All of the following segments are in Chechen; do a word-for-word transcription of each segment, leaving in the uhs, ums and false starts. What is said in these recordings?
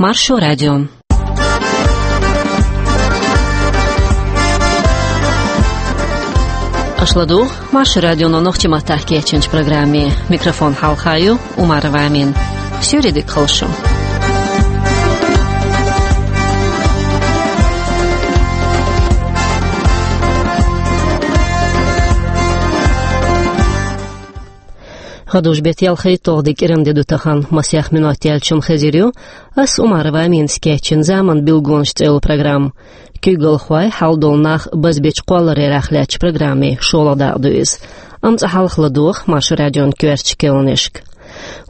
Маршо радио. Аша ладугӀу Маршо радионо нохчийн маттахь кечйинчу программе. Микрофон хьалха ю Умарова Амина. Суьйре дика хуьлда шун. ГӀадужу-беттан ялхитталгӀа де, кӀиранде ду тахана, масех минот яьлча шуна хезар ю. Ас Умарова Аминас кечйина «Заман билгалонаш» цӀе йолу программа. Куьйгалхой, хьал долу нах базбечу кхоллараллех лаьттачу программин шолгӀа дакъа ду иза. Амма цкъа хьалха ладогӀа Маршо радион коьртачу керланашка.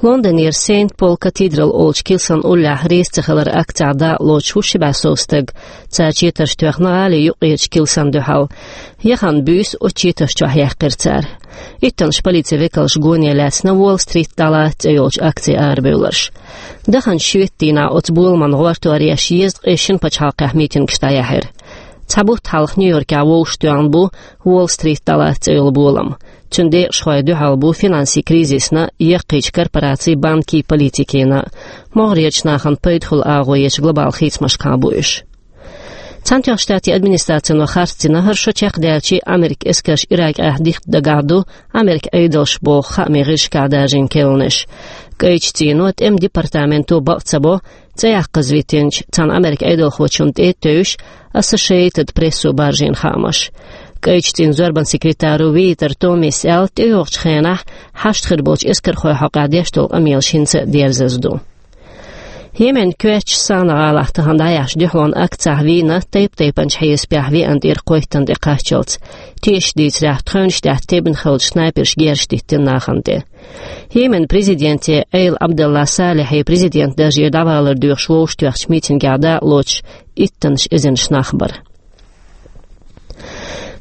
Лондонера Сент Пол Катидрал олучу килсан уллехь реза ца хилар акцехь дакъа лоцуш ву ши бӀе сов стаг. Цара четарш тоьхна гӀалин юккъерчу килсан дуьхьал. Яхана буьйса оцу четарш чохь яьккхира цара. Иттаннаш полицин векалша гоне лаьцна «Уолл-Стрит дӀалаца» цӀе йолчу акцин арабевлларш. Даханчу шоьтан дийнахь оцу боламан гӀортор еш езткъе шина пачхьалкхехь митингаш дӀаяьхьира. Цхьа бутт хьалха Нью-Йоркехь вовшахтоьхна бу «Уолл-Стрит дӀалаца» цӀе йолу болам. Цуьнан декъашхойн дуьхьал бу финансийн кризисна, яккхийчу корпорацийн, банкийн политикина, могӀарерчу нахана пайда хуьлу агӀо ечу глобал хийцамашкахь бу уьш. Цхьаьнатоьхначу Штатийн администрацино харцдина, хӀара шо чекхдаьлча Америкин эскарш Иракехь дихка дагахь ду Америкин Ӏедалш боху хаамийн гӀирсашкахь даржийна керланаш. КӀайчу цӀийно, тӀеман департаменто бакъ ца бо, цӀе яккхазвитинчу цхьана Америкин Ӏедалхочунна тӀе а тевжаш, Associated Press-о баржийна хаамаш. КӀайчу цӀийнан зорбанан секретаро Витер Томис аьлла, тӀейогӀучу хенахь хьашт хир болчу эскархойн хьокъехь деш долу къамелаш хӀинца а дерзаза ду. Йеменан коьртачу Санаа гӀалахь тахана дӀаяьхьначу дуьхьалонан акцехь вийна тайп-тайпанчу хьесапехь веана тӀера кхойттана тӀекхаччалц. Тешаш дийцарехь, тхевнаш тӀехь тебна хиллачу снайперша герзаш диттина нахана тӀе. Йеменан президенте Эйл Абдалла Салихье президентан даржера дӀавалар доьхуш вовшахтоьхначу митингехь дакъа лоцуш иттаннаш эзарнаш нах бара.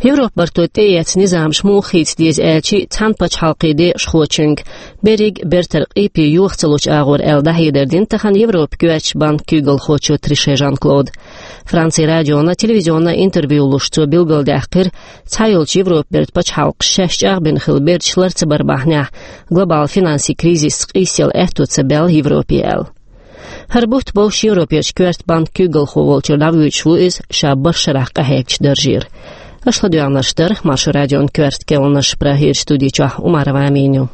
Европа барто тӀеэцна низамаш муха хийца деза аьлча, цхьана пачхьалкхан декъашхочуьнга берриг а бертара къепе йоха ца лучу агӀор аьлла дӀахьедар дина тахана Европан коьртачу банкан куьйгалхочо Трише Жан-Клода. Францин радионо телевизионан интервью луш цо билгалдаьккхира, цхьайолчу Европан бертан пачхьалкхаша шаьш чӀагӀбина хилла берташ лар ца бар бахьанехь, глобал финансийн кризисца къийсаяла аьтто ца баьлла Европе аьлла. ХӀара бутт бовш Европерчу коьртачу банкан куьйгалхо волчуьра дӀавуьйцуш ву иза ша барх шарахь къахьегначу даржера. Аша ладоьгӀнарш дара Маршо радион коьрта керланаш, Прагерчу студи чохь Умарова Амина ю.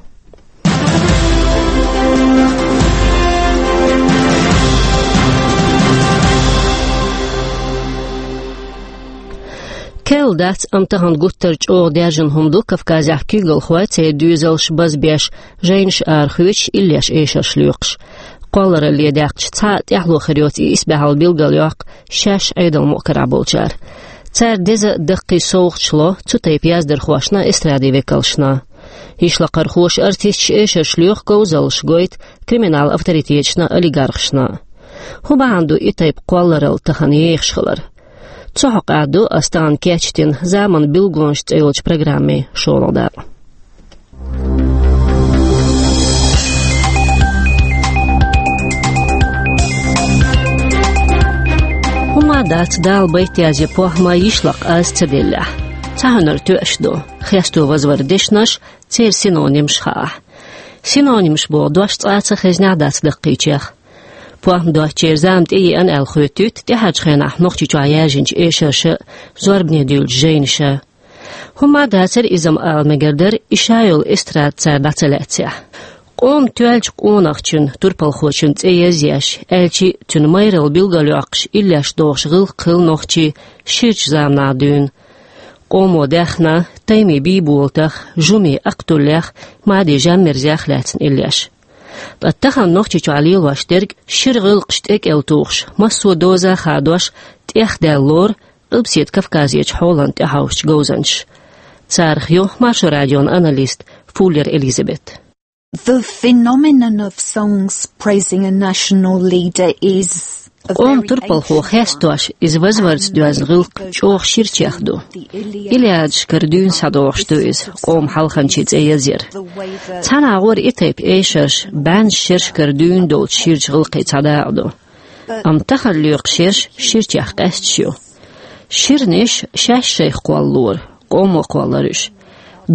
Кхел дац, амма тахана гуттар а чӀогӀа даьржина хӀума ду Кавказехь куьйгалхой, церан доьзалш базбеш, жайнаш арахоьцуш, иллеш эшарш лоькхуш. Кхолларалле даьккхича цхьа а тӀаьхьало хир йоцу и исбаьхьалла билгалйоккху шаьш Ӏедалан мукъа карахь болчара. Цара деза а, даккхий а совгӀаташ ло цу тайпа яздархошна, эстрадин векалшна. Йишлакхархоша, артисташа эшарш лоькху, говзаллаш гойту криминалан авторитеташна, олигархашна. ХӀун бахьана ду и тайпа кхолларалла тахана ехаш хилар? Цу хьокъехь ду ас тахана кечдина «Заман билгалонаш» цӀе йолчу программин шолгӀа дакъа. ХӀумма дац Дала байтаза я похӀма йишлакх аз ца деллехь. Цхьа хӀуьнар тоьаш ду: хесто, вазвар дешнаш, церан синонимаш хаахь. Синонимаш боху дош цкъа а ца хезнехь дац даккхийчех. ПохӀма доцучеран зама тӀееана аьлла хоьттуьйту тӀаьхьарчу хенахь Нохчийчохь яьржинчу эшарша, зорбане дуьйлучу жайнаша. ХӀумма дацара иза-м ала мегар дара, и ша йолу эстрада цара дӀа ца лаьцнехь. Къоман тоьллачу къонахчун, турпалхочун цӀе язъеш, аьлчи а цуьнан майралла билгалйоккхуш, иллеш дохуш гӀиллакх хилла нохчийн ширачу заманахь дуьйна. Къомо даьхна, Таймин Бийболатах, Жумин Акътуллех, Мадин Жаммирзех лаьцна иллеш. Ткъа тахана Нохчийчохь лелош дерг шира гӀиллакхаш тӀекӀел тухуш, массо а доза хадош, тӀехдаьлла лору Къилбаседа Кавказерчу хьолана тӀехьовсучу говзанчаша. Царах ю Маршо радион аналист Фуллер Элизабет. The phenomenon of songs praising a national leader is a Къоман very турпалхо ancient хестош, one. Иза вазварца доьзна гӀиллакх чӀогӀа ширачех ду. Илиадашкара дуьйна схьадогӀуш ду иза, къоман хьалханчийн цӀе язъяр. Цхьана агӀор и тайпа эшарш бӀеннаш шерашкара дуьйна долчу ширачу гӀиллакхийн цхьа дакъа ду. Амма тахана лоькху шераш ширачех къаьсташ ю. Ширниш шаьш шайх кхоллалора, къомо кхоллалора уьш.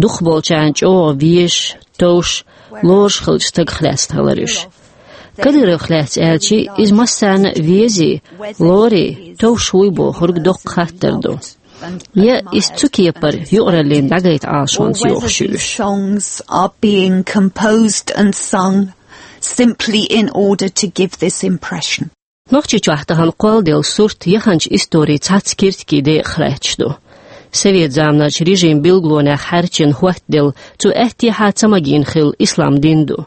Дукхахболчарна чӀогӀа везаш, товш, лоруш хиллачу стагах лаьцна хилара уьш. Кадыровх лаьцна аьлча, иза массарна а везий, лорий, товш вуй бохург доккха хаттар ду. Я иза цу кепара юкъараллина дӀагайта Ӏалашонца йохуш ю уьш. Songs are being composed and sung simply in order to give this impression. Нохчийчохь тахана кхолладелла сурт яханчу историн цхьацца киртигийн декъах лаьтташ ду. Совет заманарчу режим билгалонех хьаьрчина хӀоттаделла, цу аьттехьа ца магийна хилла ислам дин ду.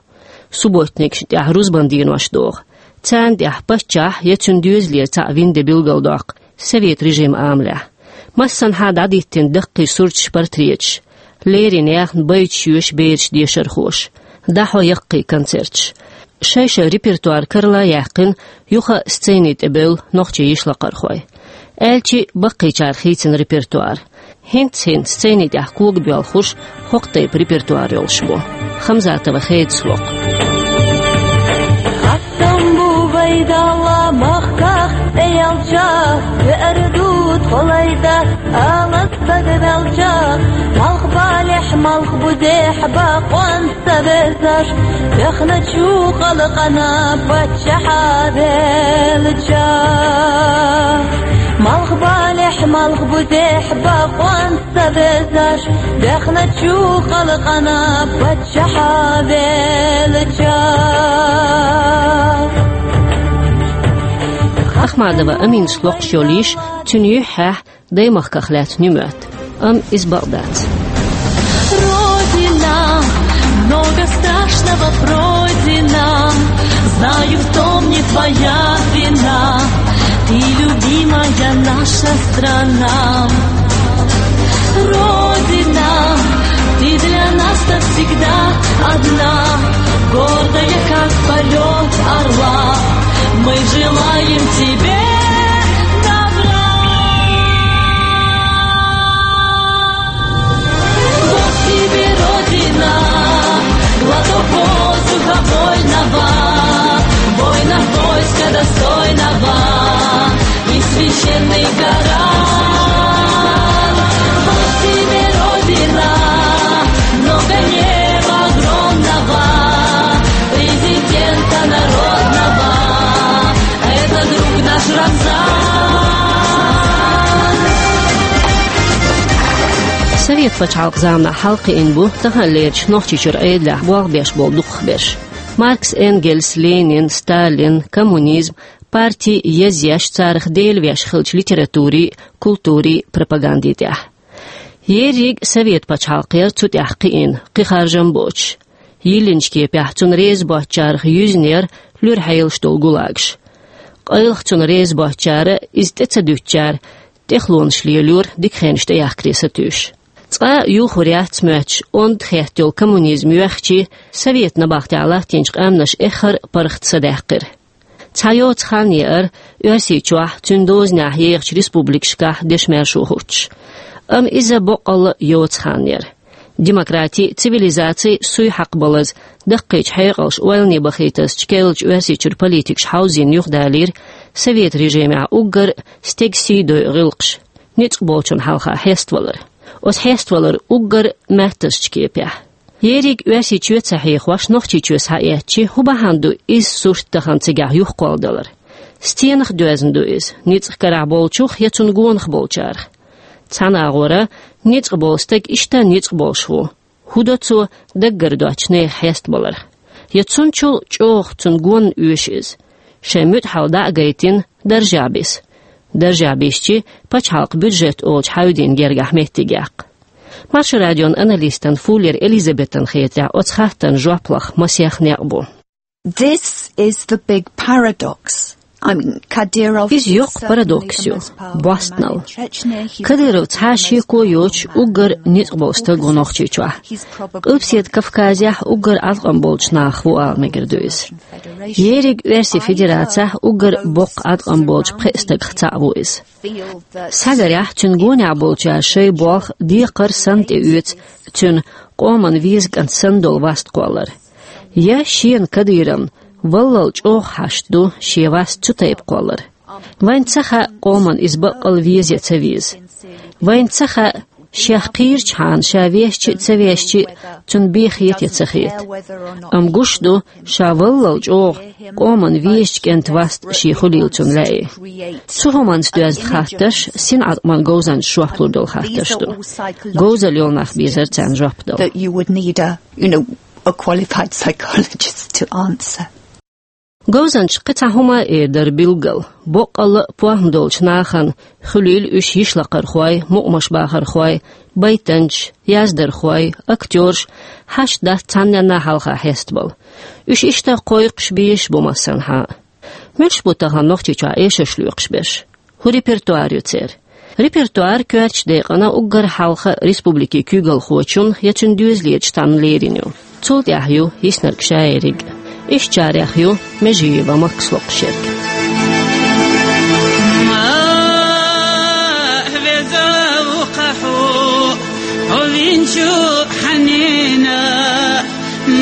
Субботникашна тӀехь рузбан денош доху. Царна тӀехь паччахь я цуьнан доьзалера цхьаъ вина де билгалдоккху совет режиман амалехь. Массанхьа дӀадиттина даккхий сурташ, портреташ, леррина яхна байташ йоьшу бераш, дешархоша, дӀахьо яккхий концерташ. Шай-шай репертуар карла а яьккхина, юха сцени тӀе бевлла нохчийн йишлакхархой. Аьлча, баккхийчара хийцина репертуар. ХӀинца-хӀинца сцени тӀехь когабоьлхуш хӀокху тайпа репертуар йолуш бу. Хамзатова Хедас ло-кх. Хастам бу вай Далла махках тӀеялча, веара ду тхо лайда, ала стаг велча, малх балехь, малх бузехь бакъонца ца безаш, бехначу халкъана паччахьа велча. Малх балехь, малх бузехь бакъонца ца безаш, бехначу халкъана паччахьа велча. Ахмадова Аминас локхуш йолу йиш, цуьнан юьххьехь даймахках лаьцна ю моьтту, амма иза бакъ дац. Родина, много страшного пройдено. Знаю, в том не твоя вина. Ты любимая наша страна. Родина, ты для нас навсегда одна. Гордая, как полёт орла, мы желаем тебе добра. Вот тебе, Родина, глоток воздуха вольного, воинов войска достойного и священный Коран. Вот тебе, Родина, много неба огромного, президента народного, это друг наш Рамзан. Совет пачхьалкх заманахь хьалакхиъна бу таханлерчу Нохчийчуьра Ӏедалехь болх беш болу дукхахберш. Маркс, Энгельс, Ленин, Сталин, коммунизм, парти язъеш, царах делавеш хиллачу литературин, культурин пропагандин тӀехь. Ерриг совет пачхьалкх яра цу тӀехь кхиъна, кхин харжам боцуш. Йиллинчу кепехь цунна реза боцучарах юьзна-яра луьра хьелаш долу гулагаш. Къайлаха цунна реза боцучара, иза тӀе ца дуьтучара тӀехлонаш лелора, дика хенаш тӀеяхкаре сатуьйсуш. Цкъа а юхур яц моьттуш, онда хетта йолу коммунизм йоьхча, совет набахтехь латтийначу къаьмнаша эххар а паргӀат садаьккхира. Цхьа йоцу хан еара Оьрсийчохь, цуьнан дозанехь ехачу республикашкахь дешан маьршо хӀуттуш. Амма иза боккъалла а йоцу хан яра. Демократи, цивилизаци суй хьакхабалаза, даккхийчу хьекъалш ойлане бахийтазчу керлачу Оьрсийчуьра политикаша хьовзийна юхадалийра совет режимехь уггар а стеган сий дойу гӀиллакхаш, ницкъ болчунна хьалха хьеставалар. Оцу хьеставалар уггар а маьттазчу кепехь. Ерриг Оьрсийчоь ца хьехош, Нохчийчоь схьаэцчи, хӀун бахьана ду иза сурт тахана цигахь юхакхолладалар? Стенах доьзна ду иза, ницкъ карахь болчух я цунна гонах болчарах? Цхьана агӀора, ницкъ болу стаг иштта ницкъ болуш ву. ХӀун до цо даггара доцчу нехан хьестабаларх? Я цунчул чӀогӀа цунна гонна оьшу иза? Шайн муьтӀахь хьал дӀа а гайтина, даржехь биса. Даржехь бисчи, пачхьалкхан бюджет олучу хьаьвдийн гергахь меттиг яккха. Маршо радион аналистан Фуллер Элизабетан хетарехь, оцу хаттарна жоп лаха масех некъ бу. This is the big paradox. I mean, Kadyrov... Иза йоккха парадокс ю, бостнал. Кадыров цхьа а шеко йоцуш уггар ницкъ болу стаг ву Нохчийчохь. Къилбаседа Кавказехь уггар Ӏаткъам болчу нахах ву ала мегар ду иза. Ерриг Оьрсийн Федерацехь уггар боккха Ӏаткъам болчу пхеа стагах цхьаъ ву иза. Схьагарехь, цуьнан гонехь болчара шайн болх декхар санна тӀеоьцу цуьнан къоман веза кӀант санна долу васт кхоллар. Я шена, Кадыровна, валлал чӀогӀа хьашт ду шен васт цу тайпа кхоллар. Вайна ца хаьа, къоман иза баккъал веза я ца веза. Вайна ца хаьа, Шех кхийрачхьана, ша вешча а, ца вешча а, цунна бен хета е ца хета. Амма гуш ду, ша валлал чӀогӀа къоман везача кӀентан васт ший хуьлийла цунна лаьий. Цу хӀуманца доьзна хаттарш синӀаткъаман говзанчаша жоп лур долу хаттарш ду. Говзалла йолу нах безара царна жоп дала. That you would need a, you know, a qualified psychologist to answer. Говзанчаша кхин цхьа хӀума а эр дара билггал. Боккъалла а похӀма долчу нахана, хуьлийла уьш йишлакхархой, мукъамашбахархой, байтанчаш, яздархой, актёраш, хьашт дац цхьанненна хьалха хьестабала. Уьш иштта кхойкхуш, безаш бу массанхьа а. Муьлш бу тахана Нохчийчохь эшарш лоькхуш берш? ХӀун репертуар ю церан? Репертуар коьртачу декъана уггар хьалха республикин куьйгалхочун я цуьнан доьзалерчун тӀамна лерина ю. Цул тӀаьхьа ю йиснарг шаерриг. Ишттачарех ю Межиева Максас локхуш ерг. Ма веза ву-кх хьо, хьо винчу хьанена,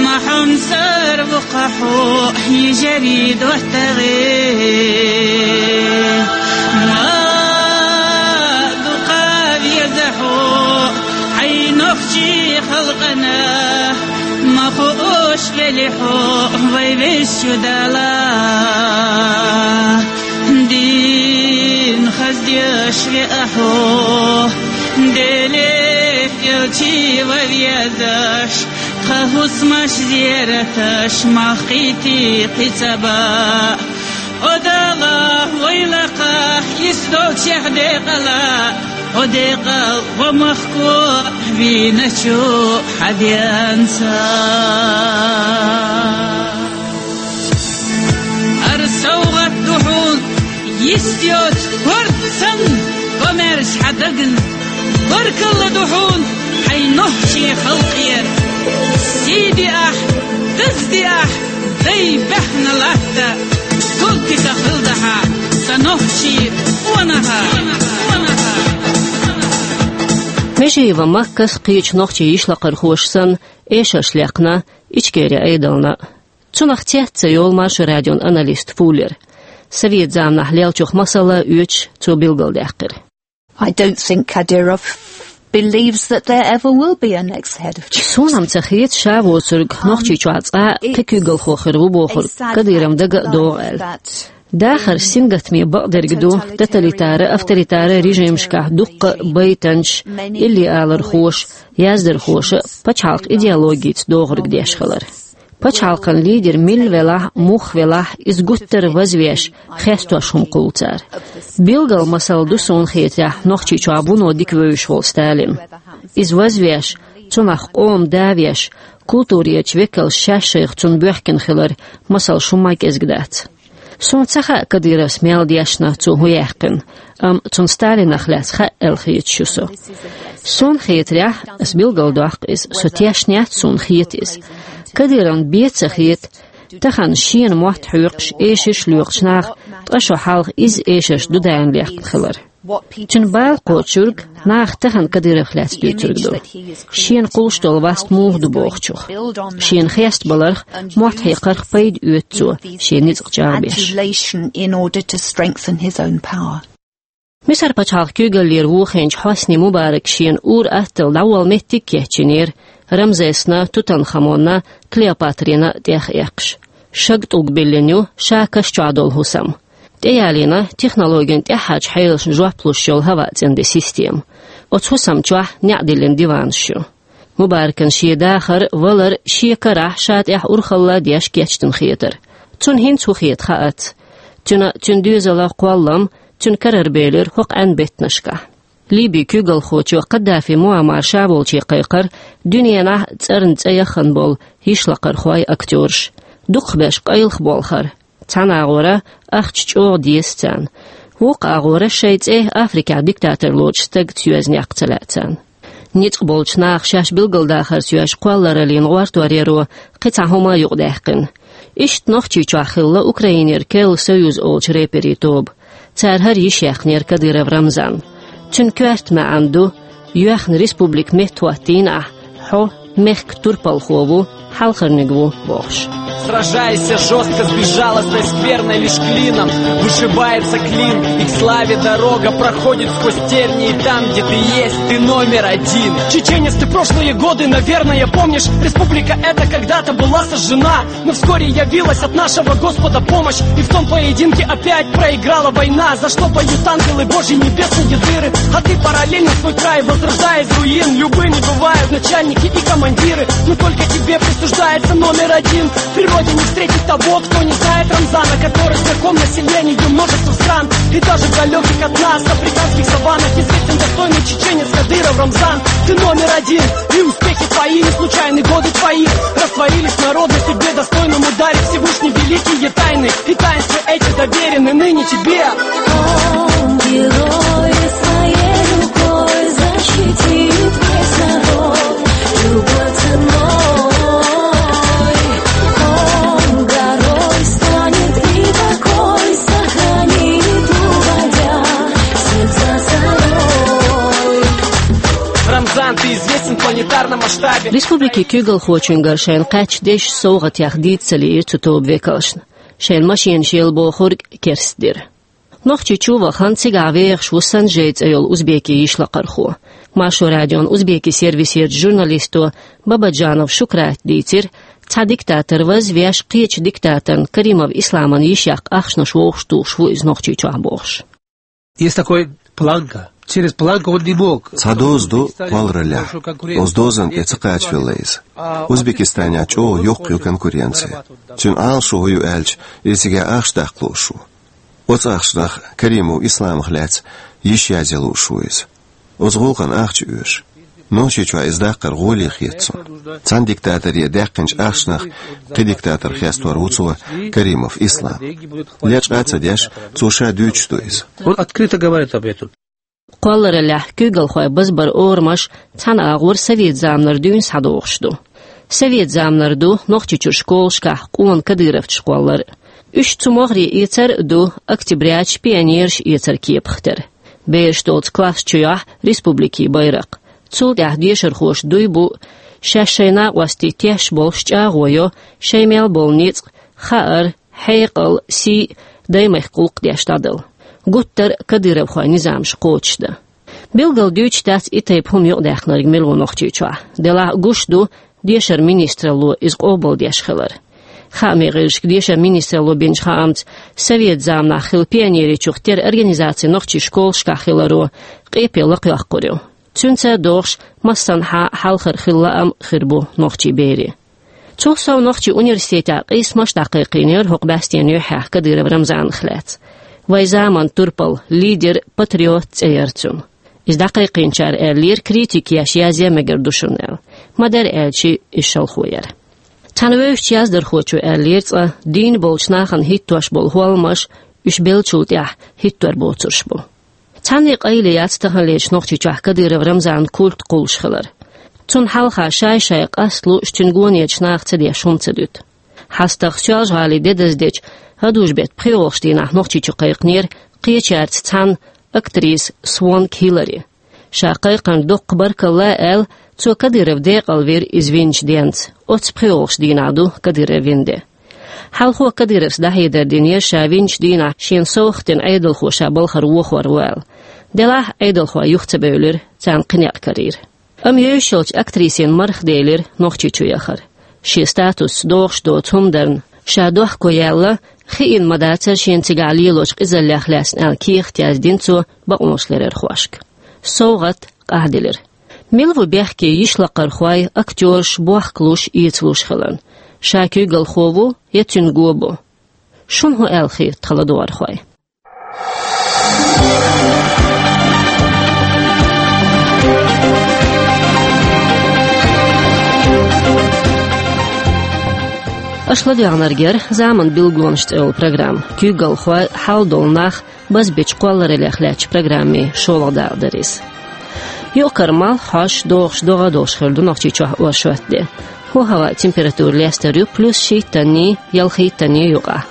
ма хьомсара ву-кх хьо, йижарий доттагӀе. Ма дукха веза хьо, хьайн нохчийн халкъана, ма хууш велли хьо, вай Везачу Дала. Дин хаздеш веа хьо, Деле элча ван везаш, тхан хӀусамаш, зераташ мах кхийти кхин цӀа баа. О Дала, вай лакха, ис долчех декъала, о декъал, о махко вийначу хьан денца. ХӀара совгӀат ду хьуна, йист йоцу хӀорд санна, гомерза хьан дагна. Баркалла ду хьуна хьайн нохчийн халкъера. Сий диахь, даз диахь, дай баьхна латта, гулдика хилдахьа, сан нохчий къонаха. Межиева Максас кхечу нохчийн йишлакхархоша санна эшарш лаьккхина Ичкерин Ӏедална. Цунах цец ца йолу Маршо радион аналист Фуллер. Совет заманахь леллачух масала оьцуш, цо билгалдаьккхира. I don't think Kadyrov believes that there ever will be a next head of Church. Суна-м ца хета, ша воцург Нохчийчохь цкъа а кхин куьйгалхо хир ву бохург Кадыровна дага а догӀу аьлла. Дахарш сингаттаме бакъдерг ду тоталитара, авторитара режимашкахь дуккха а байтанчаш, илли-алархоша, яздархоша а пачхьалкх идеологица догӀург деш хилар. Пачхьалкхан лидер милла велахь а, муха велахь а, иза гуттар а вазвеш, хестош хӀума кхуллу цара. Билггал масал ду, суна хетарехь, Нохчийчохь вуно дика вевзаш волу Сталин. Иза вазвеш, цунах къоман да веш, культурерчу векалша шаьш шайх цунна боьхкина хилар масалш хӀумма а кӀезиг дац. Суна ца хаьа, Кадыровс мел дешна, цо хӀун яьккхина, амма цунна Сталинах лаьцна хаьа аьлла хеташ ю со. Суна хетарехь, ас билгалдоккху иза, со тешна яц, суна хета иза. Кадыровна бен ца хета тахана шена мотт хьоькхуш, эшарш лоькхучу наха ткъа шо хьалха изза эшарш дудаийна лаьцна хилар. Цуьнан бала кхочург наха тахана Кадыровх лаьцна дуьйцург ду. Шена кхуллуш долу васт муха ду бохучух. Шена хестабаларх, мотт хьекхарх пайда оьцу цо, шен ницкъ чӀагӀбеш. Adulation in order to strengthen his own power. Мисар пачхьалкх куьйгаллера вохийначу Хьосни Мубарак шена ур-атталла дӀаволла меттиг кечйинера Рамзесна, Тутанхамонна, Клеопатрина тӀех эккхаш. Шаг тӀулг биллина ю ша каш чохь долу хӀусам. ТӀеялийна технологин тӀаьххьарчу хьелашна жоп луш йолу хӀаваъ цӀанде система. Оцу хӀусам чохь неӀ диллина диванаш ю. Мубаракан шен дахар, валар шен карахь ша тӀехь урхалла деш кечдина хетара. Цунна хӀинца хӀун хета хаац. Цуьнан, цуьнан доьзалан кхоллам, цуьнан карара белира хӀокху Ӏаьнан беттанашкахь. Ливин куьйгалхочо Каддафи Муаммар ша волчу кхайкхира дуьненахь цӀарна цӀе яхана болу йишлакхархой, актёраш. Дукхахберш къайлаха болхара. Цхьана агӀора ахча чӀогӀа деза царна. Вукху агӀора шайн цӀе Африкехь диктатор лоцуш стагца йоьзна яккха ца лаьа царна. Ницкъ болчу наха шаьш билгалдахарца йоьзна кхоллараллин гӀортор яро кхин цхьа хӀума а юкъадаьккхина. Иштта Нохчийчохь хилла Украинера Керла Союз олучу рэперийн тоба. Цара хӀара йиш яьккхинера Кадыров Рамзанна. Цуьнан коьрта маьӀна ду: «Йоьхна республика меттахӀоттийна ахь, хьо мехкан турпалхо ву, хьалхарниг ву», – бохуш. Сражайся жестко с безжалостной скверной, лишь клином вышибается клин. И к славе дорога проходит сквозь тернии. Там, где ты есть, ты номер один. Чеченец, ты прошлые годы, наверное, помнишь. Республика эта когда-то была сожжена, но вскоре явилась от нашего Господа помощь. И в том поединке опять проиграла война, за что поют ангелы Божьи небесные дыры. А ты параллельно свой край возрождай из руин. Любыми бывают начальники и командиры, но только тебе присуждается номер один. В природе не встретить того, кто не знает Рамзана, который знаком населению множества стран. И даже в далеких от нас африканских саваннах известен достойный чеченец Кадыров Рамзан. Ты номер один, и успехи твои, не случайны годы твои. Растворились в народной судьбе, достойному даре Всевышний великие тайны. И таинства эти доверены ныне тебе. Он герой, своей рукой защитит весь народ. Любой ценой он горой станет и покой сохранит, уводя сердца царей. Рамзан, ты известен в планетарном масштабе. Республикин куьйгалхочуьнгара шайна кхаьчна дезаш совгӀатех дийца ца лиира цу тоба векалшна. Шайна машенаш елла бохург керстдира. Нохчийчу вахана, цигахь вехаш ву Санжей цӀе йолу узбекийн йишлакхархо. Маршо радион узбекийн сервисерчу журналисто Бабаджанов Шукрата дийцира, цхьа диктатор вазвеш, кхечу диктаторна Каримов Исламан йиш яккха ахчанаш вовшахтухуш ву иза Нохчийчохь бохуш. Есть такой планка. Через планку он не мог. Цхьа доза ду кхоллараллехь. Оцу дозанна тӀе ца кхачавелла иза. Узбекистанехь чӀогӀа йоккха ю конкуренция. Цуьнан Ӏалашо хӀун ю аьлча, иза цигахь ахча даккха лууш ву. Оцу ахчанах Каримов Исламах лаьцна йиш язъян лууш ву иза. Оцу гӀуллакхана ахча оьшу. Нохчийчохь иза даккхар гӀоле хета суна. Цхьана диктаторе даьккхинчу ахчанах кхин диктатор хестор ву цо, Каримов Ислам. Лечкъа а ца деш, цо ша дуьйцуш ду иза. Он открыто говорит об этом. Кхоллараллехь куьйгалхойн базбаран орамаш цхьана агӀор совет заманара дуьйна схьадогӀуш ду. Совет заманара ду Нохчийчуьра школашкахь къона кадыровцаш кхоллар. Уьш цу могӀаре эцар а ду, октябряча пионераш эцар кепах тера. Бераш долчу класс чуьйохь республикин байракх. Цул тӀаьхьа дешархоша дуй бу, шаьш шайн накъостий тешаш болуш чӀагӀо йо, шайн мел болу ницкъ, хаар, хьекъал, сий даймехкан гӀуллакх деш дӀадала. Гуттар а кадыровхойн низамаш кхочушдан. Билггал дуьйцуш дац и тайпа хӀума юкъадаьккхинарг мила ву Нохчийчохь. Делахь а гуш ду дешаран министралло иза къобалдеш хилар. Хаамийн гӀирсашка дешаран министралло бинчу хаамца, совет заманахь хилла пионеричух тера организаци нохчийн школашкахь хиларо къепе лакхайоккхур ю. Цуьнца догӀуш, массанхьа хьалхара хилла лаам хир бу нохчийн берийн. Цул сов, нохчийн университетехь къийсамаш дӀакхайкхийнера хӀокху бӀаьстенан юьххьехь Кадыров Рамзанах лаьцна. Вайн заманан турпал, лидер, патриот цӀе яра цуьнан. Иза дӀакхайкхийначара аьллера, критика еш язъян мегар ду шуна аьлла. Ма-дарра аьлча, иза шалхо яра. Цхьана вевзачу яздархочо аьллера цкъа, дийна болчу нахана хӀиттош болу хӀолламаш уьш беллачул тӀаьхьа хӀиттор боцурш бу. Цхьанне къайле яц таханлерчу Нохчийчохь Кадыров Рамзанан культ кхуллуш хилар. Цунна хьалха шай-шай къаст лууш, цуьнан гонечу наха ца деш хӀума ца дуьту. ХьастагӀа Соьлжа-ГӀалин де даздечу ХӀадужбеттан пхоьалгӀачу дийнахь Нохчийчу кхайкхинера кхечаьрца цхьаьна актриса Свонг Хилари. Ша кхайкхарна дуккха баркалла аьлла, цо Кадыров декъалвира иза винчу денца. Оцу пхоьалгӀачу дийнахь ду Кадыров вина де. Хьалхо Кадыровс дӀахьедар динера, ша винчу дийнахь шена совгӀат дина Ӏедалхо ша балхара вохор ву аьлла. Делахь а Ӏедалхой юха ца бевлира, царна кхин некъ карийра. Амма йовзуш йолчу актрисина марха делира Нохчийчу яхар. Шен статусца догӀуш доцу хӀума дарна ша дохко яьлла, хиъна ма дацара шена цигахь лелочу къизаллех лаьцна аьлла кехат яздина цо бакъонашларъярхошка. СовгӀат къахьделира. Мила ву бехке йишлакхархой, актёраш бохкалуш, эцалуш хиларна? Ша куьйгалхо ву я цуьнан го бу? Шуна хӀун аьлла хета, тхан ладогӀархой? Аша ладоьгӀнарг яра «Заман билгалонаш» цӀе йолу программа. Куьйгалхой, хьал долу нах, базбечу кхоллараллех лаьттачу программийн шолгӀа дакъа дара иза. Юкъ-кара малх хьош, догӀуш догӀа а долуш хир ду Нохчийчохь оршот де. ХӀо-хӀаваан температура лестар ю плюс шийттанний, ялхийттанний юкъахь.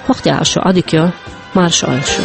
ХӀокху тӀехь шу Ӏодика йо, марша Ӏойла шу.